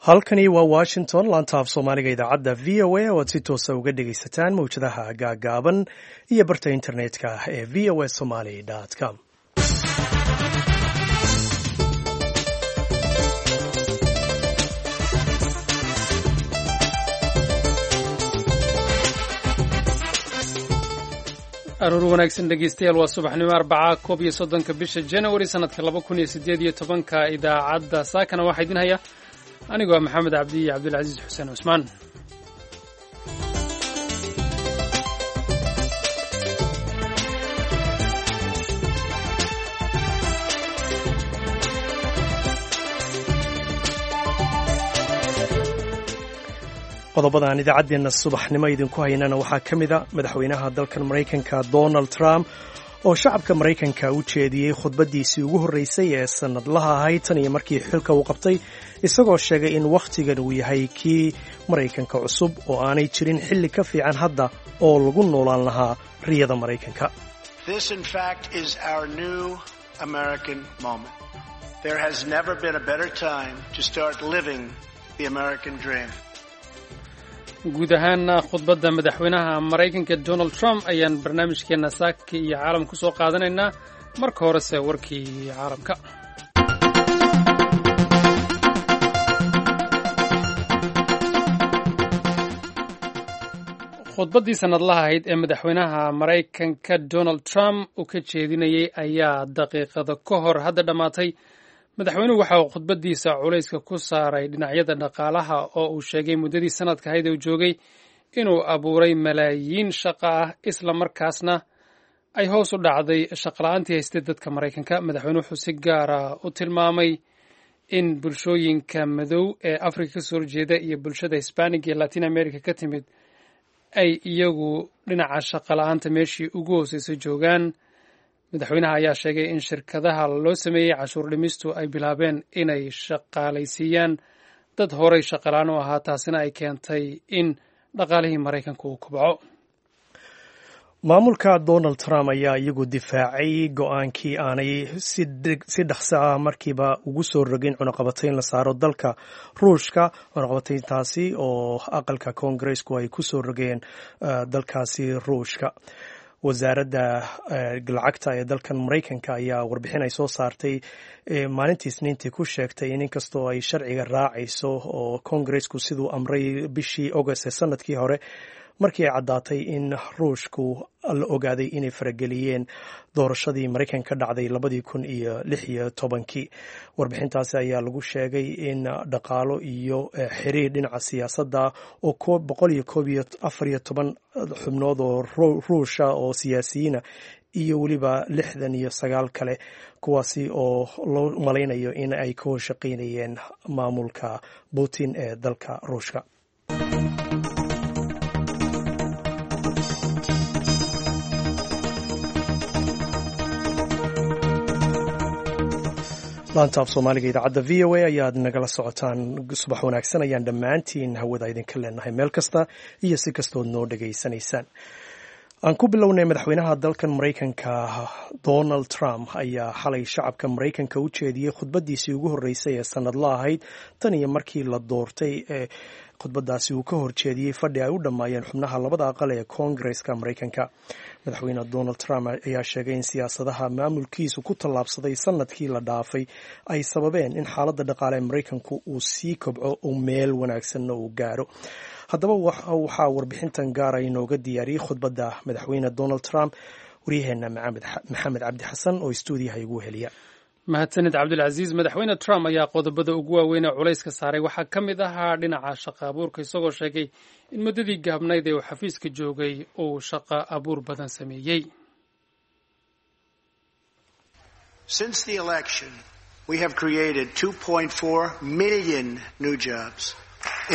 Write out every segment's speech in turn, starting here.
Halkani waa Washington, laanta af Soomaaliga idaacadda VOA oo aad si toosa uga dhegaysataan mawjadaha gaagaaban iyo barta internetka ee voasomali.com. Aroor wanaagsan, dhegeystayaal. Waa subaxnimo Arbaca, 31-ka bisha January, sanadka 2018-ka. Idaacadda saakana waxaa idin haya anigoo Maxamed Cabdi iyo Cabdilcasiis Xuseen Cusmaan. Qodobada aan idaacaddeenna subaxnimo idinku haynana waxaa ka mid a madaxweynaha dalkan Maraykanka Donald Trump oo shacabka Maraykanka u jeediyey khudbaddiisii ugu horreysay ee sannadlaha ahayd tan iyo markii xilka uu qabtay, isagoo sheegay in wakhtigan uu yahay kii Maraykanka cusub oo aanay jirin xilli ka fiican hadda oo lagu noolaan lahaa riyada Maraykanka. Guud ahaana khudbadda madaxweynaha Maraykanka Donald Trump ayaan barnaamijkeenna saaka iyo caalam ku soo qaadanaynaa. Marka horese warkii caalamka. Khudbaddii sannadlaha ahayd ee madaxweynaha Maraykanka Donald Trump uu ka jeedinayey ayaa daqiiqada ka hor hadda dhammaatay. Madaxweynuhu waxa uu khudbaddiisa culayska ku saaray dhinacyada dhaqaalaha, oo uu sheegay muddadii sanadka ahayd uu joogay inuu abuuray malaayiin shaqo ah, isla markaasna ay hoos u dhacday shaqola'aantii haystay dadka Maraykanka. Madaxweynuhu wuxuu si gaara u tilmaamay in bulshooyinka madow ee Afrika kasoo horjeeda iyo bulshada Hisbanig iyo Latin America ka timid ay iyagu dhinaca shaqola'aanta meeshii ugu hooseysay joogaan. Madaxweynaha ayaa sheegay in shirkadaha loo sameeyey cashuur dhimistu ay bilaabeen inay shaqaalaysiiyaan dad horay shaqalaan u ahaa, taasina ay keentay in dhaqaalihii Maraykanka uu kobco. Maamulka Donald Trump ayaa iyagu difaacay go-aankii aanay si dhaqso ah markiiba ugu soo rogin cunaqabatayn la saaro dalka Ruushka, cunaqabatayntaasi oo aqalka Koongareesku ay ku soo rogeen dalkaasi Ruushka. Wasaaradda lacagta ee dalkan Maraykanka ayaa warbixin ay soo saartay maalintii Isniintii ku sheegtay in inkastoo ay sharciga raacayso oo Koongareesku siduu amray bishii August ee sanadkii hore, markii ay caddaatay in Ruushku la ogaaday inay farageliyeen doorashadii Maraykanka ka dhacday 2016-kii. Warbixintaasi ayaa lagu sheegay in dhaqaalo iyo xiriir dhinaca siyaasadda oo 141 xubnood oo Ruusha oo siyaasiyiina iyo weliba 69 kale, kuwaasi oo loo malaynayo in ay ka horshaqaynayeen maamulka Putin ee dalka Ruushka. Laanta af Soomaaliga idaacadda VOA ayaad nagala socotaan. Subax wanaagsan ayaan dhammaantiin hawada idinka leenahay meel kasta iyo si kastood noo dhegaysanaysaan. Aan ku bilownay, madaxweynaha dalkan Maraykanka Donald Trump ayaa xalay shacabka Maraykanka u jeediyey khudbaddiisii ugu horreysay ee sannadla ahayd tan iyo markii la doortay. Ee khudbaddaasi uu ka horjeediyey fadhi ay u dhammaayeen xubnaha labada aqal ee Koongareska Maraykanka. Madaxweyne Donald Trump ayaa sheegay in siyaasadaha maamulkiisu ku tallaabsaday sanadkii la dhaafay ay sababeen in xaaladda dhaqaale ee Maraykanku uu sii kobco oo meel wanaagsanna uu gaaro. Haddaba waxaa warbixintan gaara inooga diyaariyey khudbadda madaxweyne Donald Trump waryaheenna Maxamed Cabdi Xasan oo istuudiyaha igu heliya. Mahadsanid, Cabdilcasiis. Madaxweyne Trump ayaa qodobada ugu waaweyn ee culayska saaray waxaa ka mid ahaa dhinaca shaqa abuurka, isagoo sheegay in muddadii gaabnayd ee uu xafiiska joogay uu shaqa abuur badan sameeyey. Since the election, we have created 2.4 million new jobs,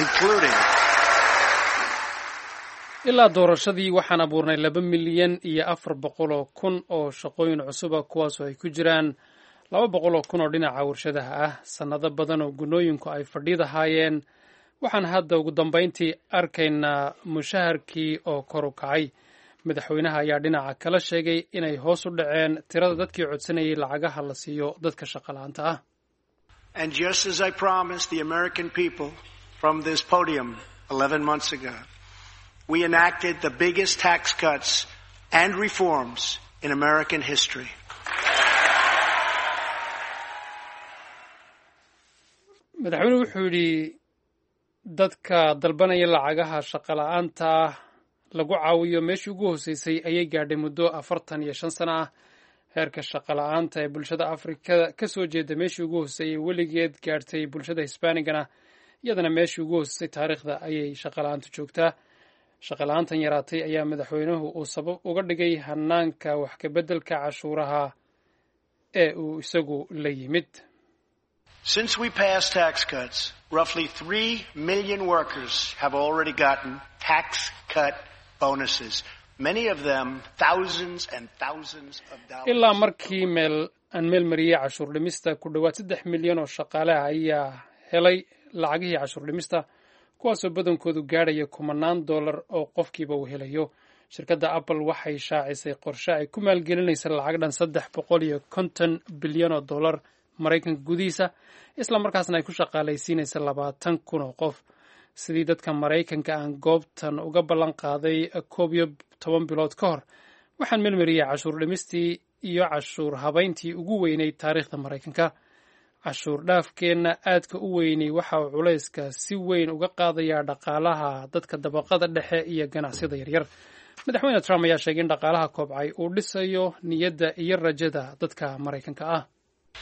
including Ilaa doorashadii waxaan abuurnay 2,400,000 oo shaqooyin cusuba, kuwaasoo ay ku jiraan 200,000 oo dhinaca warshadaha ah. Sannado badan oo gunooyinku ay fadhiidahaayeen, waxaan hadda ugu dambayntii arkaynaa mushaharkii oo kor u kacay. Madaxweynaha ayaa dhinaca kala sheegay inay hoos u dhaceen tirada dadkii codsanayay lacagaha la siiyo dadka shaqola'aanta ah. And just as I promised the American people from this podium 11 months ago, we enacted the biggest tax cuts and reforms in American history. Madaxweynuhu wuxuu yidhi dadka dalbanaya lacagaha shaqola'aanta ah lagu caawiyo meeshii ugu hooseysay ayay gaadhay muddo 45 sano ah. Heerka shaqola'aanta ee bulshada Afrikada ka soo jeeda meeshii ugu hooseeyay weligeed gaadhtay, bulshada Hisbaanigana iyadana meeshii ugu hooseysay taariikhda ayay shaqola'aantu joogtaa. Shaqola'aantan yaraatay ayaa madaxweynuhu uu sabab uga dhigay hanaanka wax ka beddelka cashuuraha ee uu isagu la yimid. Since we passed tax cuts, roughly 3 million workers have already gotten tax cut bonuses. Many of them thousands and thousands of dollars. Ilaa markii meel aan meel mariyey cashuur dhimista, ku dhowaad 3 milyan oo shaqaale ah ayaa helay lacagihii cashuur dhimista, kuwaasoo badankoodu gaadhaya kumanaan dollar oo qofkiiba uu helayo. Shirkadda Apple waxay shaacisay qorshe ay ku maalgelinaysa lacag dhan 350 bilyan oo dollar Maraykanka gudihiisa, isla markaasna ay ku shaqaalaysiinaysa 20,000 oo qof. Sidii dadka Maraykanka aan goobtan uga ballan qaaday 11 bilood ka hor, waxaan melmariyey cashuur dhimistii iyo cashuur habayntii ugu weyneyd taariikhda Maraykanka. Cashuur dhaafkeenna aadka u weynay waxa uu culayska si weyn uga qaadayaa dhaqaalaha dadka dabaqada dhexe iyo ganacsiyada yaryar. Madaxweyne Trump ayaa sheegay in dhaqaalaha kobcay uu dhisayo niyadda iyo rajada dadka Maraykanka ah.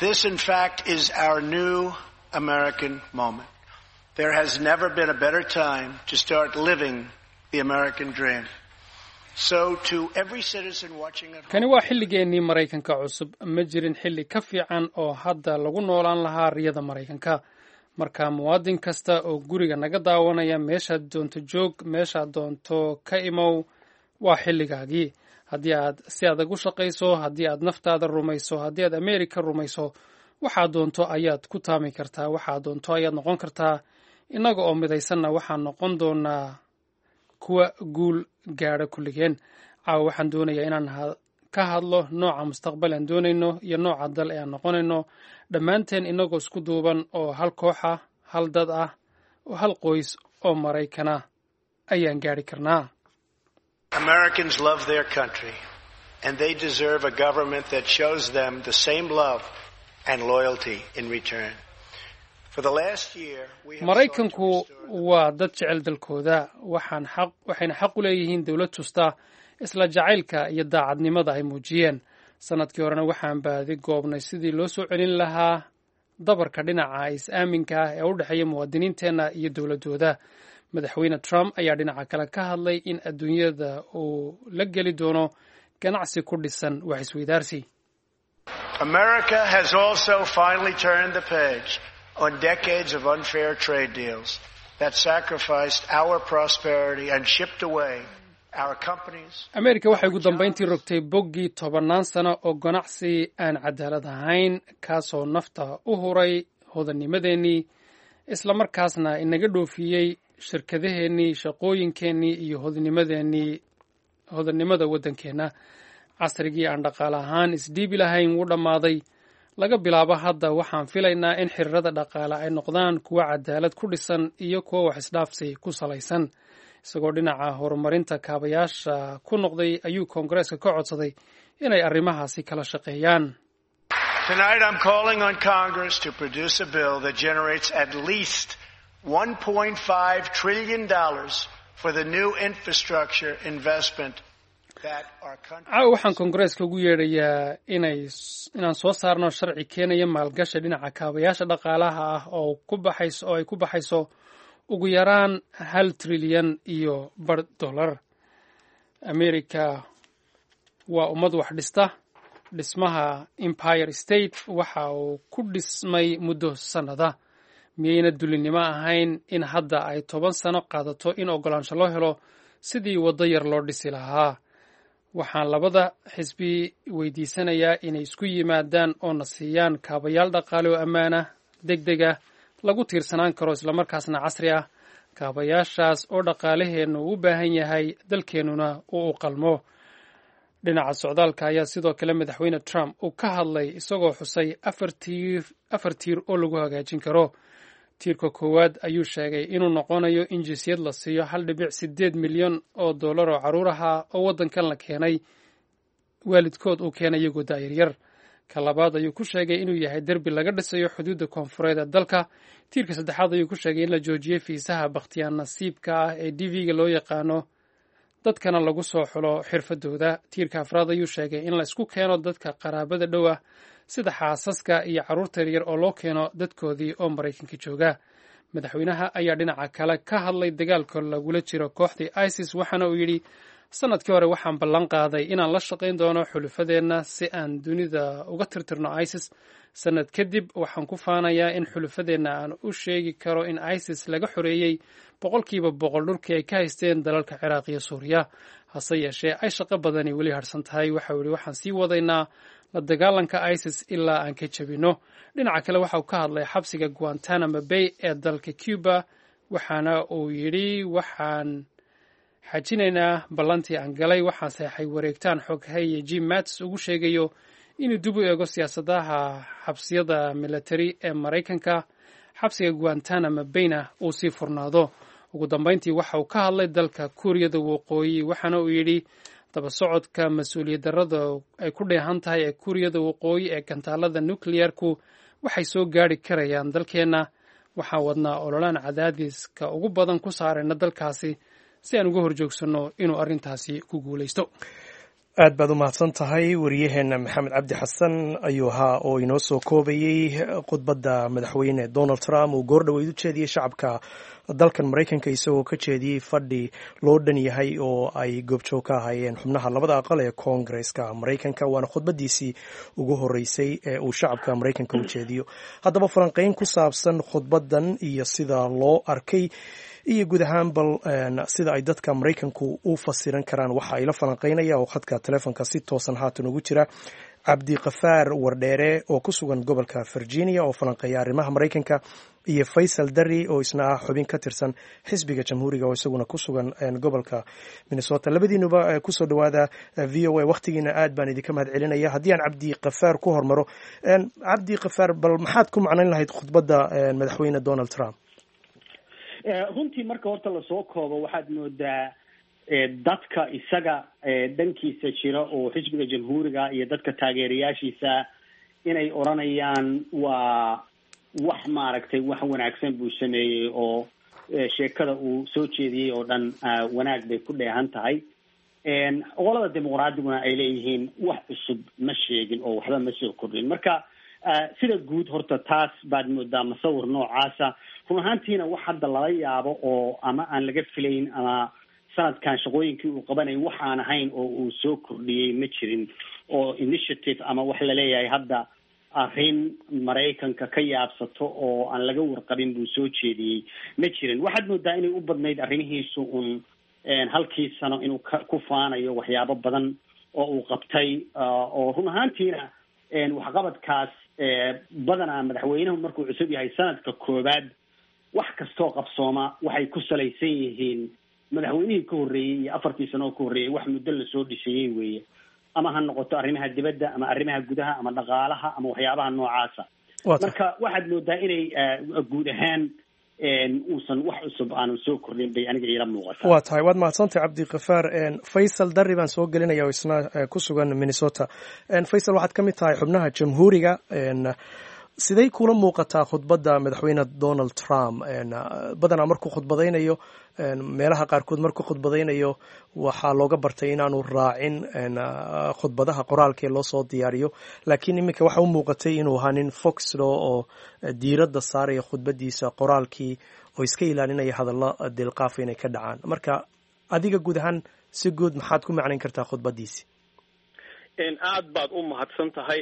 This, in fact, is our new American moment. There has never been a better time to start living the American dream. So to every citizen watching at home, Kani waa xilligeennii Maraykanka cusub. Ma jirin xilli ka fiican oo hadda lagu noolaan lahaa riyada Maraykanka. Marka muwaadin kasta oo guriga naga daawanaya, meeshaad doonto joog, meeshaad doonto ka imow, waa xilligaagii. Haddii aad si adag u shaqayso, haddii aad naftaada rumayso, haddii aad Ameerika rumayso, waxaad doonto ayaad ku taami kartaa, waxaad doonto ayaad noqon kartaa. Innaga oo midaysanna waxaan noqon doonaa kuwa guul gaadha kulligeen. Caawa waxaan doonayaa inaan ka hadlo nooca mustaqbal aan doonayno iyo nooca dal ee aan noqonayno dhammaanteen, innagoo isku duuban oo hal koox ah, hal dad ah oo hal qoys oo Maraykana ayaan gaadhi karnaa. Americans love their country, and they deserve a government that shows them the same love and loyalty in return. For the last year, we have sought to Maraykanku restore waa dad jecel dalkooda, waxayna xaq u leeyihiin dowlad tusta isla jacaylka iyo daacadnimada ay muujiyeen. Sanadkii horena waxaan baadi goobnay sidii loo soo celin lahaa dabarka dhinaca is-aaminka ah ee u dhexeeya muwaadiniinteenna iyo dowladooda. Madaxweyne Trump ayaa dhinaca kale ka hadlay in adduunyada uu la geli doono ganacsi ku dhisan wax isweydaarsi. America has also finally turned the page on decades of unfair trade deals that sacrificed our prosperity and shipped away our companies. Ameerika waxay ugu dambayntii rogtay boggii tobannaan sano oo ganacsi aan cadaalad ahayn, kaasoo nafta u huray hodannimadeennii, islamarkaasna inaga dhoofiyey shirkadaheennii, shaqooyinkeennii iyo hodanimadeennii, hodannimada waddankeenna. Casrigii aan dhaqaale ahaan isdhiibi lahayn wuu dhammaaday. Laga bilaabo hadda waxaan filaynaa in xiriirada dhaqaale ay noqdaan kuwo cadaalad ku dhisan iyo kuwo wax isdhaafsi ku salaysan. Isagoo dhinaca horumarinta kaabayaasha ku noqday ayuu Koongareeska ka codsaday inay arrimahaasi kala shaqeeyaan. Tonight I'm calling on Congress to produce a bill that generates at least $1.5 trillion for the new infrastructure investment that our country Caawa waxaan Koongareeska ugu yeedhayaa inaan soo saarno sharci keenaya maalgashi dhinaca kaabayaasha dhaqaalaha ah oo ay ku baxayso ugu yaraan 1.5 trilyan dollar. America waa ummad wax dhista. Dhismaha Empire State waxa uu ku dhismay muddo sannada. Miyayna dulinimo ahayn in hadda ay 10 sano qaadato in oggolaansho loo helo sidii waddo yar loo dhisi lahaa? Waxaan labada xisbi weydiisanayaa inay isku yimaadaan oo na siiyaan kaabayaal dhaqaale oo ammaanah, deg deg ah, lagu tiirsanaan karo, islamarkaasna casri ah, kaabayaashaas oo dhaqaalaheennu u baahan yahay, dalkeennuna uu u qalmo. Dhinaca socdaalka ayaa sidoo kale madaxweyne Trump uu ka hadlay, isagoo xusay afar tiir oo lagu hagaajin karo. Tiirka koowaad ayuu sheegay inuu noqonayo in jinsiyad la siiyo 1.8 milyan oo dollar oo carruur aha oo waddankan la keenay, waalidkood uu keenay iyagoo da'yaryar. Ka labaad ayuu ku sheegay inuu yahay derbi laga dhisayo xuduudda koonfureed ee dalka. Tiirka saddexaad ayuu ku sheegay in la joojiyey fiisaha bakhtiyaan nasiibka ah ee DV-ga loo yaqaano, dadkana lagu soo xulo xirfadooda. Tiirka afraad ayuu sheegay in la isku keeno dadka qaraabada dhow ah, sida xaasaska iyo carruurta yaryar, oo loo keeno dadkoodii oo Maraykanka jooga. Madaxweynaha ayaa dhinaca kale ka hadlay dagaalka lagula jiro kooxdii ISIS, waxaana uu yidhi: "Sanadkii hore waxaan ballan qaaday inaan la shaqayn doono xulufadeenna si aan dunida uga tirtirno ISIS. Sanad kadib waxaan ku faanayaa in xulufadeenna aan u sheegi karo in ISIS laga xoreeyey 100% dhulkii ay ka haysteen dalalka Ciraaq iyo Suuriya, hase yeeshee ay shaqo badani weli harsan tahay." Waxa uu yihi: "Waxaan sii wadaynaa la dagaalanka ISIS ilaa aan ka jebinno." Dhinaca kale waxa uu ka hadlay xabsiga Guantanamo Bay ee dalka Cuba, waxaana uu yidhi: "Waxaan xajinaynaa ballantii aan galay. Waxaan saxeexay wareegtaan xoghaye Jim Mattis ugu sheegayo inuu dib u eego siyaasadaha xabsiyada military ee Maraykanka, xabsiga Guantanamo Bayna uu sii furnaado." Ugu dambeyntii waxa uu ka hadlay dalka Kuuriyada Waqooyi, waxaana uu yidhi: "Daba socodka mas-uuliyad darrada ay ku dheehan tahay ee Kuuriyada Waqooyi ee gantaalada nuclearku waxay soo gaari karayaan dalkeenna. Waxaan wadnaa ololaan cadaadiska ugu badan ku saarayna dalkaasi si aan uga horjoogsanno inuu arrintaasi ku guulaysto." Aad baad u mahadsan tahay. Wariyaheenna Maxamed Cabdi Xasan ayuu ahaa oo inoo soo koobayey khudbadda madaxweyne Donald Trump uu goordhoweyd u jeediyey shacabka dalkan Maraykanka, isagoo ka jeediyey fadhi loo dhan yahay oo ay goobjoog ka ahaayeen xubnaha labada aqal ee Koongreska Maraykanka. Waana khudbaddiisii ugu horreysay ee uu shacabka Maraykanka u jeediyo. Haddaba falanqeyn ku saabsan khudbaddan iyo sida loo arkay iyo guud ahaan bal sida ay dadka Maraykanku u fasiran karaan, waxa ay la falanqeynaya oo khadka telefoonka si toosan haatan ugu jira Cabdikafaar Wardheere oo ku sugan gobolka Virginia oo falanqeeya arrimaha Maraykanka, iyo Faysal Dari oo isna ah xubin ka tirsan xisbiga Jamhuuriga oo isaguna ku sugan gobolka Minnesota. Labadiinuba kusoo dhawaada VOA. Wakhtigiina aad baan idinka mahad celinaya. Haddii aan Cabdikafaar ku hormaro, Cabdikafaar, bal maxaad ku macnayn lahayd khudbadda madaxweyne Donald Trump? Runtii marka horta lasoo koobo, waxaad moodaa dadka isaga dhankiisa jira oo xisbiga Jamhuuriga iyo dadka taageerayaashiisa inay odhanayaan waa wax maaragtay wax wanaagsan buu sameeyey, oo sheekada uu soo jeediyey oo dhan wanaag bay ku dheehan tahay. Qolada Dimuqraadiguna ay leeyihiin wax cusub ma sheegin oo waxba ma soo kordhin. Marka sida guud horta taas baad moodaa masawir noocaasa. Run ahaantiina wax hadda lala yaabo oo ama aan laga filayn ama sanadkan shaqooyinkii uu qabanayay waxaan ahayn oo uu soo kordhiyey ma jirin, oo initiative ama wax laleeyahay hadda arrin Maraykanka ka yaabsato oo aan laga warqabin buu soo jeediyey ma jirin. Waxaad moodaa inay u badnayd arrimihiisu un halkii sano inuu ka ku faanayo waxyaabo badan oo uu qabtay, oo run ahaantiina waxqabadkaas badanaa madaxweynuhu markuu cusub yahay sanadka koowaad wax kastoo qabsooma waxay ku salaysan yihiin madaxweynihii ka horreeyey iyo 4-tii sano oo ka horreeyey, wax muddo lasoo dhisayey weeye, ama ha noqoto arrimaha dibadda ama arrimaha gudaha ama dhaqaalaha ama waxyaabaha noocaasa. Marka waxaad moodaa inay guud ahaan uusan wax cusub aanu soo kordhin bay aniga iila muuqataa. Waa tahay, waad mahadsantahay, Cabdikafaar. Faysal Dari baan soo gelinaya oo isna ku sugan Minnesota. Faysal, waxaad ka mid tahay xubnaha Jamhuuriga. Siday kula muuqataa khudbadda madaxweyne Donald Trump? Badanaa markuu khudbadaynayo, meelaha qaarkood markuu khudbadaynayo, waxaa looga bartay inaanu raacin khudbadaha qoraalka ee loo soo diyaariyo, laakiin iminka waxa u muuqatay inuu ahaa nin foxlo oo diiradda saaraya khudbadiisa qoraalkii oo iska ilaalinaya hadallo dilqaafa inay ka dhacaan. Marka adiga guud ahaan si guud maxaad ku macnayn kartaa khudbadiisi? Aad baad u mahadsan tahay.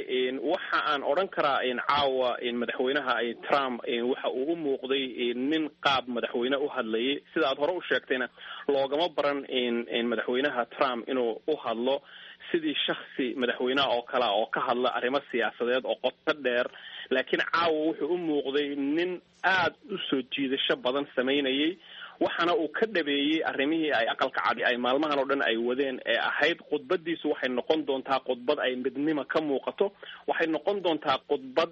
Waxa aan odhan karaa caawa madaxweynaha Trump waxa uu u muuqday nin qaab madaxweyne u hadlayay. Sida aad hore u sheegtayna, loogama baran madaxweynaha Trump inuu u hadlo sidii shaksi madaxweyneha oo kalea oo ka hadla arrimo siyaasadeed oo qoto dheer, laakiin caawa wuxuu u muuqday nin aad u soo jiidasho badan samaynayay. Waxaana uu ka dhabeeyey arrimihii ay Aqalka Cadi ay maalmahan oo dhan ay wadeen ee ahayd khudbadiisu waxay noqon doontaa khudbad ay midnimo ka muuqato, waxay noqon doontaa khudbad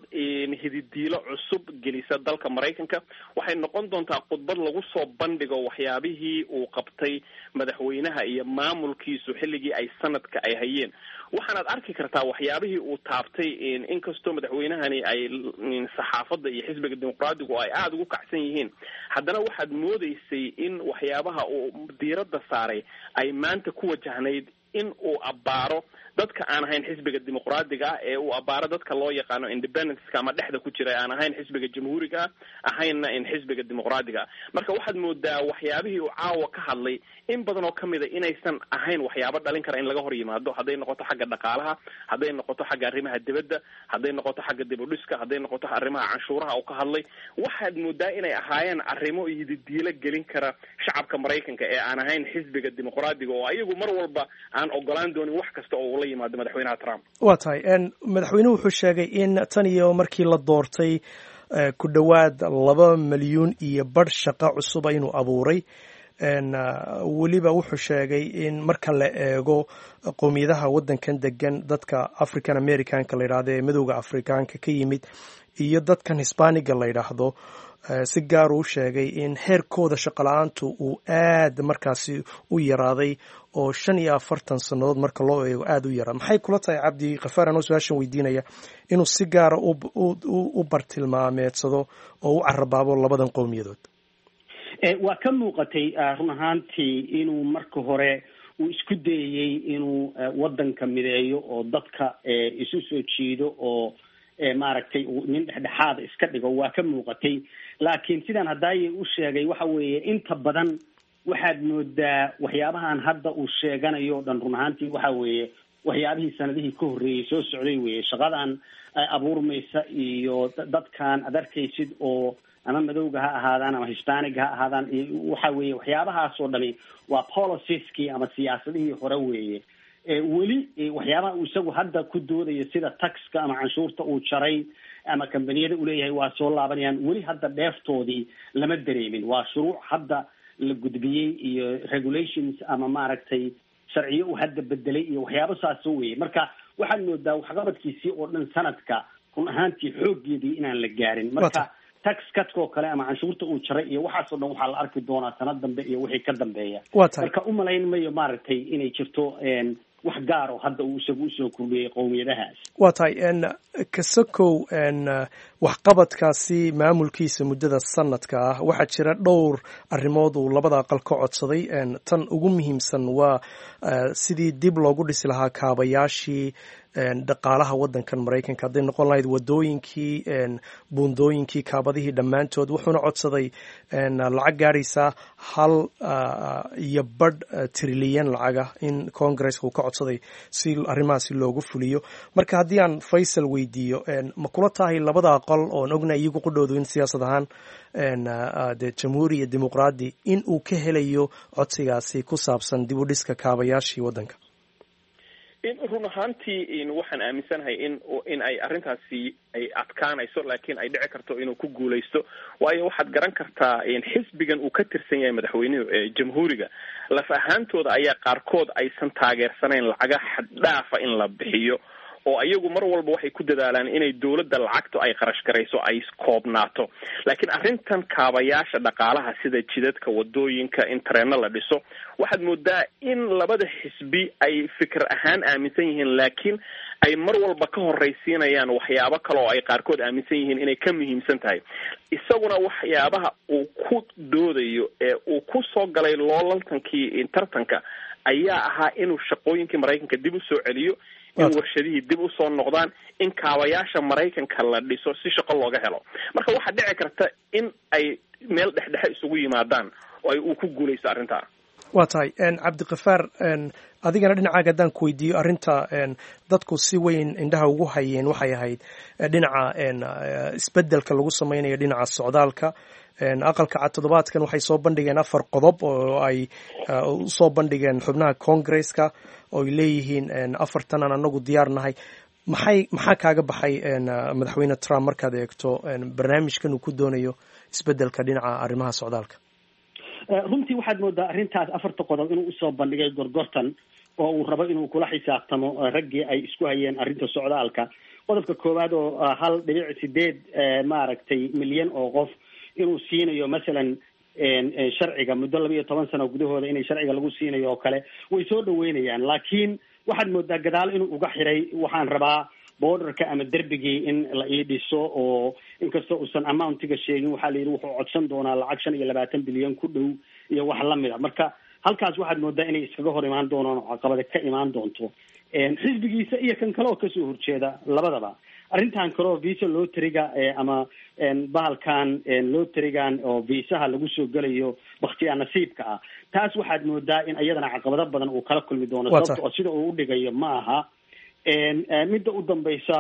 hididiilo cusub gelisa dalka Maraykanka, waxay noqon doontaa khudbad lagu soo bandhigo waxyaabihii uu qabtay madaxweynaha iyo maamulkiisu xilligii ay sanadka ay hayeen. Waxaanaad arki kartaa waxyaabihii uu taabtay, inkastoo madaxweynahani ay saxaafadda iyo xisbiga Dimuqraadigu ay aada ugu kacsan yihiin, haddana waxaad moodeysay in waxyaabaha uu diiradda saaray ay maanta ku wajahnayd in uu abbaaro dadka aan ahayn xisbiga Dimuqraadiga ah, ee uu abbaaro dadka loo yaqaano independenceka ama dhexda ku jira, aan ahayn xisbiga Jamhuuriga ah, ahaynna in xisbiga Dimuqraadiga ah. Marka waxaad moodaa waxyaabihii uu caawa ka hadlay in badan oo kamid a inaysan ahayn waxyaabo dhalin kara in laga hor yimaado, hadday noqoto xagga dhaqaalaha, hadday noqoto xagga arrimaha dibadda, hadday noqoto xagga dib u dhiska, hadday noqoto arrimaha canshuuraha uu ka hadlay. Waxaad moodaa inay ahaayeen arrimo yididiilo gelin kara shacabka Maraykanka ee aan ahayn xisbiga Dimuqraadiga, oo ayagu mar walba aan ogolaan doonin wax kasta oo ula yimaado madaxweynaha Trump. Waa tahay. Madaxweynuhu wuxuu sheegay in tan iyo markii la doortay ku dhowaad 2.5 milyan shaqo cusuba inuu abuuray. Weliba wuxuu sheegay in marka la eego qowmiyadaha waddankan degan, dadka African Americanka la yidhahdo ee madowga Afrikaanka ka yimid iyo dadkan Hispaniga la yidhaahdo, si gaar uu sheegay in heerkooda shaqo la-aantu uu aad markaasi u yaraaday, oo 45 sannadood marka loo eego aada u yaraa. Maxay kula tahay, Cabdi Kafaar, anoo su-aashan weydiinaya, inuu si gaara u bartilmaameedsado oo u carabaabo labadan qowmiyadood? Waa ka muuqatay run ahaantii inuu marka hore uu isku dayayey inuu waddanka mideeyo oo dadka isu soo jiido oo maaragtay nin dhexdhexaada iska dhigo. Waa ka muuqatay, laakiin sidaan hadaaye u sheegay, waxa weeye inta badan waxaad moodaa waxyaabahan hadda uu sheeganayo o dhan run ahaantii waxa weeye waxyaabihii sanadihii ka horreeyey soo socday weeye. Shaqadan abuurmaysa iyo dadkan ad arkaysid oo ama madowga ha ahaadaan ama Hispaniga ha ahaadaan, waxa weeye waxyaabahaas oo dhami waa policieski ama siyaasadihii hore weeye. Weli waxyaabaha uu isagu hadda ku doodayo, sida taxka ama canshuurta uu jaray ama kambaniyada uleeyahay waa soo laabanayaan, weli hadda dheeftoodii lama dareemin. Waa shuruuc hadda la gudbiyey iyo regulations ama maaragtay sharciyo uu hadda bedelay iyo waxyaabo saasoo weeye. Marka waxaad moodaa waxqabadkiisii oo dhan sanadka run ahaantii xooggeedii inaan la gaarin. Marka tax cutka oo kale ama canshuurta uu jaray iyo waxaasoo dhan waxaa la arki doonaa sanad dambe iyo wixii ka dambeeya. Waa tahay. Marka umalayn mayo maaragtay inay jirto wax gaar oo hadda uu isagu usoo kordhiyey qowmiyadahaas. Waa tahay. Kasakow waxqabadkaasi maamulkiisa muddada sanadka ah, waxaa jira dhowr arrimood uu labada aqal ka codsaday. Tan ugu muhiimsan waa sidii dib loogu dhisi lahaa kaabayaashii dhaqaalaha waddankan Maraykanka, hadday noqon lahayd wadooyinkii, buundooyinkii, kaabadihii dhammaantood. Wuxuuna codsaday lacag gaadhaysa 1.5 trilyan lacaga in Congresska uu ka codsaday si arrimahaasi loogu fuliyo. Marka haddii aan Faysal weydiiyo, ma kula tahay labada aqal oon ognahay iyagu qudhoodu in siyaasad ahaan dee Jamhuuri iyo Dimuqraadi in uu ka helayo codsigaasi ku saabsan dib u dhiska kaabayaashii waddanka? In run ahaantii waxaan aaminsanahay in ay arrintaasi ay adkaanayso, laakiin ay dhici karto inuu ku guulaysto, waayo waxaad garan kartaa xisbigan uu ka tirsan yahay madaxweynuhu ee Jamhuuriga laf ahaantooda ayaa qaarkood aysan taageersanayn lacaga xaddhaafa in la bixiyo, oo ayagu mar walba waxay ku dadaalaan inay dowladda lacagtu ay qarash garayso ay koobnaato. Laakiin arrintan kaabayaasha dhaqaalaha, sida jidadka, wadooyinka, in tareeno la dhiso, waxaad moodaa in labada xisbi ay fikir ahaan aaminsan yihiin, laakiin ay mar walba ka horraysiinayaan waxyaabo kale oo ay qaarkood aaminsan yihiin inay ka muhiimsan tahay. Isaguna waxyaabaha uu ku doodayo ee uu ku soo galay loolaltankii tartanka ayaa ahaa inuu shaqooyinkii Maraykanka dib u soo celiyo, in warshadihii dib usoo noqdaan, in kaabayaasha Maraykanka la dhiso si shaqo looga helo. Marka waxaa dhici karta in ay meel dhexdhexe isugu yimaadaan oo ay uu ku guulaysto arrintaa. Waa tahay. Cabdikafaar, adigana dhinacaaga haddaan ku weydiiyo, arrinta dadku si weyn indhaha ugu hayeen waxay ahayd dhinaca isbeddelka lagu sameynayo dhinaca socdaalka. Aqalka Cad toddobaadkan waxay soo bandhigeen afar qodob oo ay usoo bandhigeen xubnaha Congresska, oo ay leeyihiin afartan aan anagu diyaar nahay. Maxaa kaaga baxay madaxweyne Trump markaad eegto barnaamijkan uu ku doonayo isbeddelka dhinaca arrimaha socdaalka? Runtii waxaad moodaa arrintaas afarta qodob inuu usoo bandhigay gorgortan oo uu rabo inuu kula xisaabtamo raggii ay isku hayeen arrinta socdaalka. Qodobka koowaad oo 1.8 maaragtay milyan oo qof inuu siinayo masalan sharciga muddo 12 sano gudahooda inay sharciga lagu siinayo oo kale, way soo dhaweynayaan. Laakiin waxaad moodaa gadaal inuu uga xiray, waxaan rabaa borderka ama derbigii in la ii dhiso, oo inkastoo uusan amountiga sheegin, waxaa la yidhi wuxuu codsan doonaa lacag 25 bilyan ku dhow iyo wax lamid a. Marka halkaas waxaad moodaa inay iskaga hor imaan doonaan oo caqabada ka imaan doonto xisbigiisa iyo kan kale oo kasoo horjeeda labadaba. Arrintan kale oo visa lotteryga ama bahalkan lotterygan oo viisaha lagu soo gelayo baktiyaa nasiibka ah, taas waxaad moodaa in iyadana caqabado badan uu kala kulmi doono, sababta oo sida uu udhigayo ma aha. Midda u dambaysa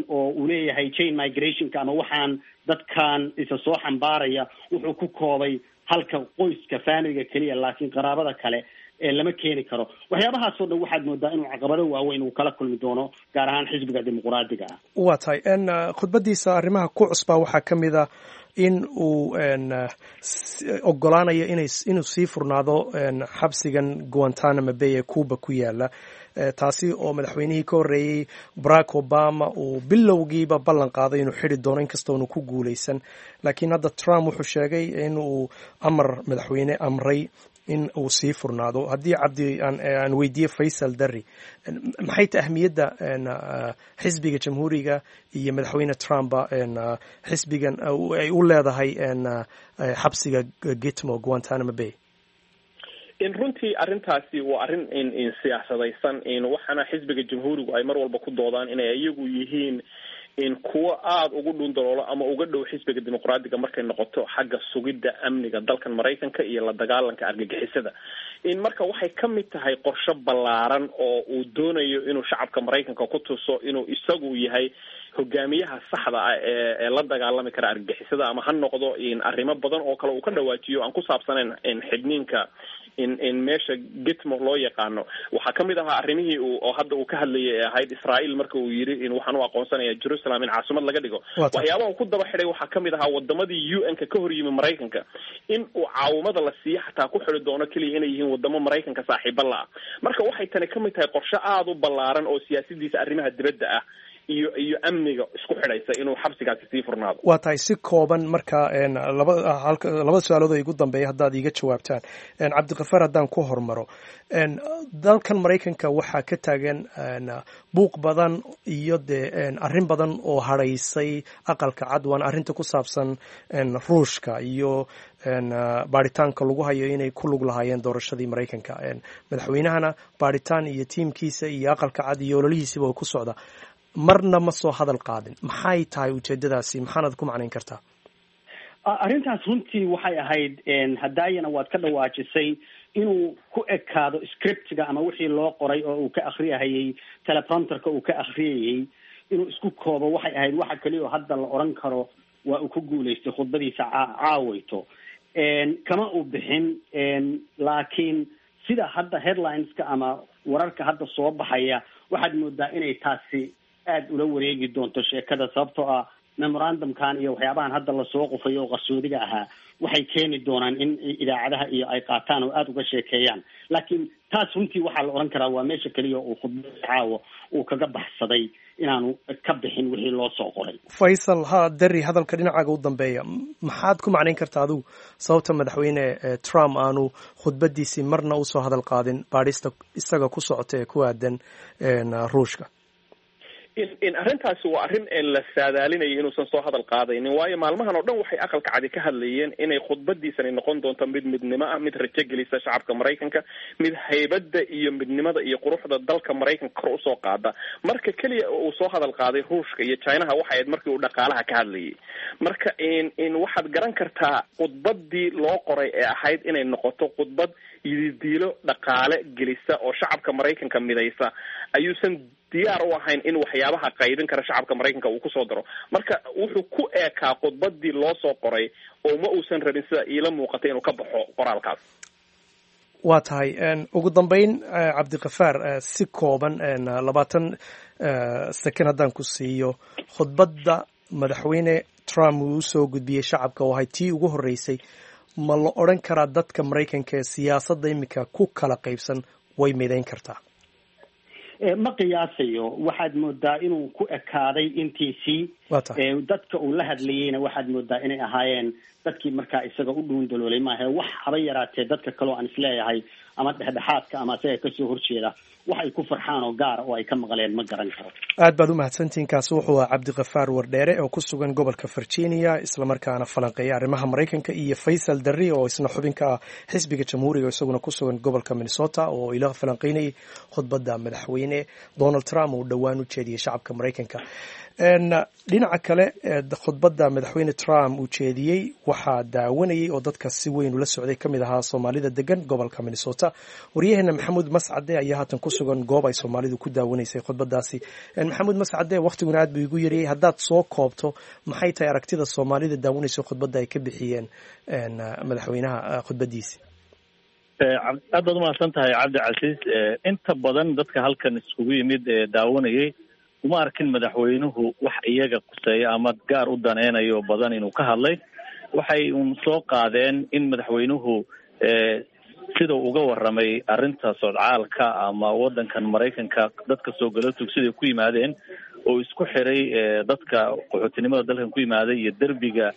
oo uu leeyahay chain migrationka ama waxaan dadkan isa soo xambaaraya, wuxuu ku koobay halka qoyska familyga keliya, laakiin qaraabada kale lama keeni karo. Waxyaabahaasoo dhan waxaad moodaa inuu caqabado waaweyn uu kala kulmi doono, gaar ahaan xisbiga Dimuquraadiga ah. Waa tahay. Khudbadiisa arrimaha ku cusbaa waxaa ka mid a in uu ogolaanayo inuu sii furnaado xabsigan Guantanamo Bay ee Cuba ku yaala, taasi oo madaxweynihii ka horreeyey Barack Obama uu bilowgiiba ballan qaaday inuu xidhi doono, inkastoonu ku guuleysan. Laakiin hadda Trump wuxuu sheegay in uu amar madaxweyne amray in uu sii furnaado. Haddii Cabdi aan weydiiye Faysal Darri, maxay ta ahmiyadda xisbiga Jamhuuriga iyo madaxweyne Trumpa xisbigan ay u leedahay xabsiga Gitmo, Guantanamo Bay? In runtii arrintaasi waa arrin siyaasadaysan, waxaana xisbiga Jamhuurigu ay mar walba ku doodaan inay iyagu yihiin in kuwo aada ugu dhundaloolo ama uga dhow xisbiga Dimuqraadiga markay noqoto xagga sugidda amniga dalkan Maraykanka iyo la dagaalanka argagixisada. In marka waxay ka mid tahay qorshe ballaaran oo uu doonayo inuu shacabka Maraykanka ku tuso inuu isagu yahay hogaamiyaha saxda ah ee la dagaalami kara argagixisada, ama ha noqdo in arrimo badan oo kale uu ka dhawaajiyo aan ku saabsanayn xidhniinka in meesha Gitmo loo yaqaano. Waxaa kamid ahaa arrimihii uu oo hadda uu ka hadlayay ee ahayd Israel, marka uu yidhi in waxaan u aqoonsanaya Jerusalem in caasimad laga dhigo. Waxyaabaha uu ku daba xidhay waxaa kamid ahaa wadamadii UN-ka ka hor yimi Maraykanka in uu caawimada la siiyo xataa ku xidi doono keliya inay yihiin wadamo Maraykanka saaxiiba la ah. Marka waxay tani kamid tahay qorshe aada u ballaaran oo siyaasadiisa arrimaha dibadda ah iyo amniga isku xidhaysa inuu xabsigaasi sii furnaado. Waa tahay. Si kooban marka laba halka labada su-aalood oo igu dambeeya haddaad iiga jawaabtaan. Cabdikafaar, haddaan ku hormaro, dalkan Maraykanka waxaa ka taagan buuq badan iyo dee arrin badan oo hadhaysay Aqalka Cad, waana arrinta ku saabsan Ruushka iyo baaritaanka lagu hayo inay ku lug lahaayeen doorashadii Maraykanka. Madaxweynahana baaritaan iyo tiimkiisa iyo Aqalka Cad iyo ololihiisiba oo ku socda, marna ma soo hadal qaadin. Maxay tahay ujeedadaasi? Maxaanad ku macnayn kartaa? Arrintaas runtii waxay ahayd, hadaayana waad ka dhawaajisay, inuu ku ekaado scriptiga ama wixii loo qoray oo uu ka akriyahayey teleprompterka uu ka akriyayey, inuu isku koobo waxay ahayd. Waxa keliya oo hadda la odhan karo waa uu ku guulaystay khudbadiisa caawayto, kama uu bixin. Laakiin sida hadda headlineska ama wararka hadda soo baxaya, waxaad moodaa inay taasi aada ula wareegi doonto sheekada, sababtoo ah memorandumkan iyo waxyaabahan hadda lasoo qufayo oo qarsoodiga ahaa waxay keeni doonaan in idaacadaha iyo ay qaataan oo aada uga sheekeeyaan. Laakiin taas runtii waxaa la odhan karaa waa meesha keliya uu khudbada caawa uu kaga baxsaday inaanu ka bixin wixii loo soo qoray. Faysal ha Derry, hadalka dhinacaaga u dambeeya, maxaad ku macnayn kartaa adigu sababta madaxweyne Trump aanu khudbadiisii marna usoo hadal qaadin baadhista isaga ku socota ee ku aadan Ruushka? In arrintaasi waa arrin la saadaalinayo inuusan soo hadal qaadaynin, waayo maalmahan oo dhan waxay Aqalka Cadi ka hadlayeen inay khudbadiisani noqon doonto mid midnimo ah, mid rajo gelisa shacabka Maraykanka, mid haybadda iyo midnimada iyo quruxda dalka Maraykanka kor usoo qaada. Marka keliya uu soo hadal qaaday Ruushka iyo Chinaha waxay ahayd markii uu dhaqaalaha ka hadlayay. Marka in waxaad garan kartaa khudbadii loo qoray ee ahayd inay noqoto khudbad yididiilo dhaqaale gelisa oo shacabka Maraykanka midaysa ayuusan diyaar u ahayn in waxyaabaha qaybin kara shacabka Maraykanka uu kusoo daro. Marka wuxuu ku eekaa khudbadii loo soo qoray oo ma uusan rabin, sida iila muuqatay, inuu ka baxo qoraalkaas. Waa tahay. Ugu dambeyn, Cabdikafaar, si kooban 20 second haddaan ku siiyo, khudbadda madaxweyne Trump uu usoo gudbiyey shacabka oo ahay tii ugu horreysay, Ma la odhan karaa dadka Maraykanka ee siyaasadda iminka ku kala qaybsan way midayn kartaa? Ma qiyaasayo. Waxaad moodaa inuu ku ekaaday intiisii. Dadka uu la hadlayeyna waxaad moodaa inay ahaayeen dadkii markaa isaga u dhuundaloolay maahe, wax haba yaraatee dadka kaleo aan isleeyahay ama dhexdhexaadka ama isaga kasoo horjeeda wax ay ku farxaan oo gaara oo ay ka maqleen ma garan karo. Aad baad u mahadsantihiin. Kaasi wuxuu ahaa Cabdikafaar Wardheere oo ku sugan gobolka Virginia, islamarkaana falanqeeya arrimaha Maraykanka, iyo Faysal Darri oo isna xubin ka ah xisbiga Jamhuuriga, isaguna ku sugan gobolka Minnesota, oo ila falanqeynayay khudbadda madaxweyne Donald Trump uu dhowaan u jeediyey shacabka Maraykanka. Dhinaca kale, khudbadda madaxweyne Trump uu jeediyey waxaa daawanayay oo dadka si weyn ula socday ka mid ahaa Soomaalida degan gobolka Minnesota. Waryaheena Maxamuud Mascade ayaa haatan ku sugan goob ay Soomaalidu ku daawanaysay khudbadaasi. Maxamuud Mascade, wakhtiguna aad buu igu yariyey, haddaad soo koobto, maxay tahay aragtida Soomaalida daawanaysa khudbadda ay ka bixiyeen madaxweynaha khudbadiisi? Aad baad umahadsan tahay, Cabdicasiis. Inta badan dadka halkan iskugu yimid ee daawanayay uma arkin madaxweynuhu wax iyaga quseeya ama gaar u daneynayo badan inuu ka hadlay. Waxay uun soo qaadeen in madaxweynuhu sida uga warramay arrinta socdaalka ama waddankan Maraykanka dadka soo gala tugsiday ku yimaadeen, oo isku xiray dadka qaxootinimada dalkan ku yimaaday iyo derbiga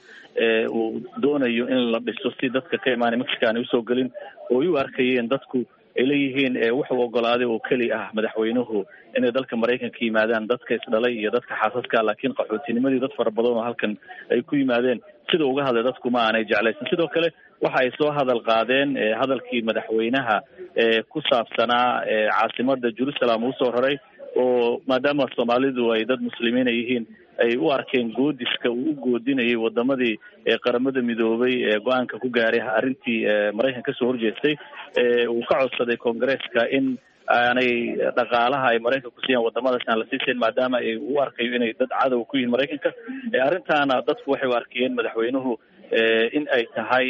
uu doonayo in la dhiso si dadka ka imaanay Mexico aanay usoo gelin, oo ay u arkayeen dadku ay leeyihiin wuxuu ogolaaday oo keli ah madaxweynuhu inay dalka Maraykanka yimaadaan dadka isdhalay iyo dadka xaasaska, laakiin qaxootinimadii dad fara badan oo halkan ay ku yimaadeen sida uga hadlay dadku ma aanay jeclaysan. Sidoo kale waxa ay soo hadal qaadeen hadalkii madaxweynaha ku saabsanaa caasimada Jerusalem uu soo raray, oo maadaama Soomaalidu ay dad muslimiina yihiin ay u arkeen goodiska uu u goodinayay wadamadii Qaramada Midoobay ee go-aanka ku gaaray arrintii Maraykanka kasoo horjeestay, uu ka codsaday Koongareeska in aanay dhaqaalaha ay Maraykanku siiyaan wadamadaas aan la siisayn, maadaama ay u arkayo inay dad cadow ku yihiin Maraykanka. Arrintaana dadku waxay u arkayeen madaxweynuhu in ay tahay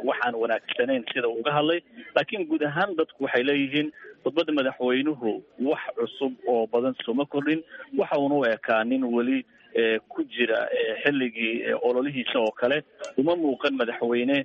waxaan wanaagsanayn sida uu uga hadlay. Laakiin guud ahaan dadku waxay leeyihiin khudbadda madaxweynuhu wax cusub oo badan sooma kordhin, waxa uuna u ekaa nin weli ku jira xilligii ololihiisa oo kale. Uma muuqan madaxweyne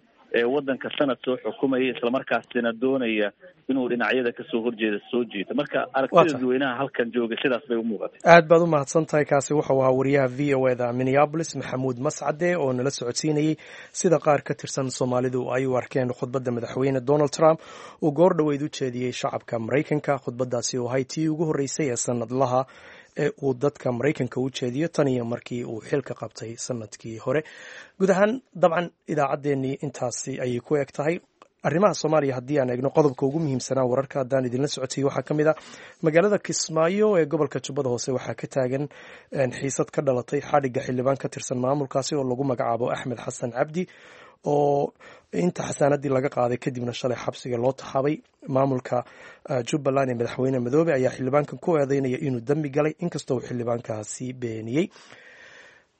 waddanka sanad soo xukumaya islamarkaasina doonaya inuu dhinacyada kasoo horjeeda soo jiito. Marka aragtida dadweynaha halkan jooga sidaas bay u muuqatay. Aad baad u mahadsan tahay. Kaasi wuxuu ahaa wariyaha VOA da Minneapolis, Maxamuud Mascade, oo nala socodsiinayey sida qaar ka tirsan Soomaalidu ay u arkeen khudbadda madaxweyne Donald Trump uu goor dhoweyd u jeediyey shacabka Maraykanka, khudbaddaasi oo ahay tii ugu horreysay ee sanadlaha ee uu dadka Maraykanka u jeediyo tan iyo markii uu xilka qabtay sanadkii hore. Guud ahaan dabcan idaacaddeenii intaasi ayay ku eg tahay. Arrimaha Soomaaliya haddii aan eegno, qodobka ugu muhiimsanaa wararka haddaan idinla socotay waxaa ka mid ah magaalada Kismaayo ee gobolka Jubbada Hoose waxaa ka taagan xiisad ka dhalatay xadhigga xildhibaan ka tirsan maamulkaasi oo lagu magacaabo Axmed Xasan Cabdi, oo inta xasaanadii laga qaaday kadibna shalay xabsiga loo taxaabay. Maamulka Jubbaland ee madaxweyne Madoobe ayaa xildhibaankan ku eedeynaya inuu dembi galay, inkastoo uu xildhibaankaasi beeniyey.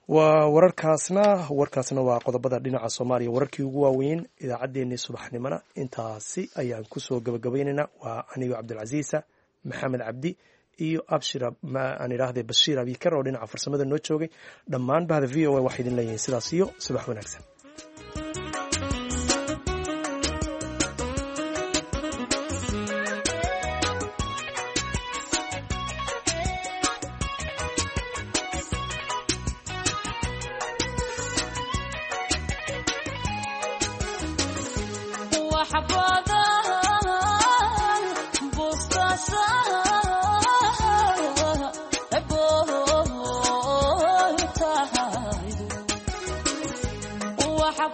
Waa wararkaasna, warkaasna waa qodobada dhinaca Soomaaliya wararkii ugu waaweyn. Idaacaddeenii subaxnimona intaasi ayaan kusoo gabagabaynaynaa. Waa anigoo Cabdilcasiisa Maxamed Cabdi iyo Abshir aan idhaahday Bashiir Abikar oo dhinaca farsamada noo joogay. Dhammaan bahda VOA waxay idin leeyihiin sidaas iyo subax wanaagsan. Waxa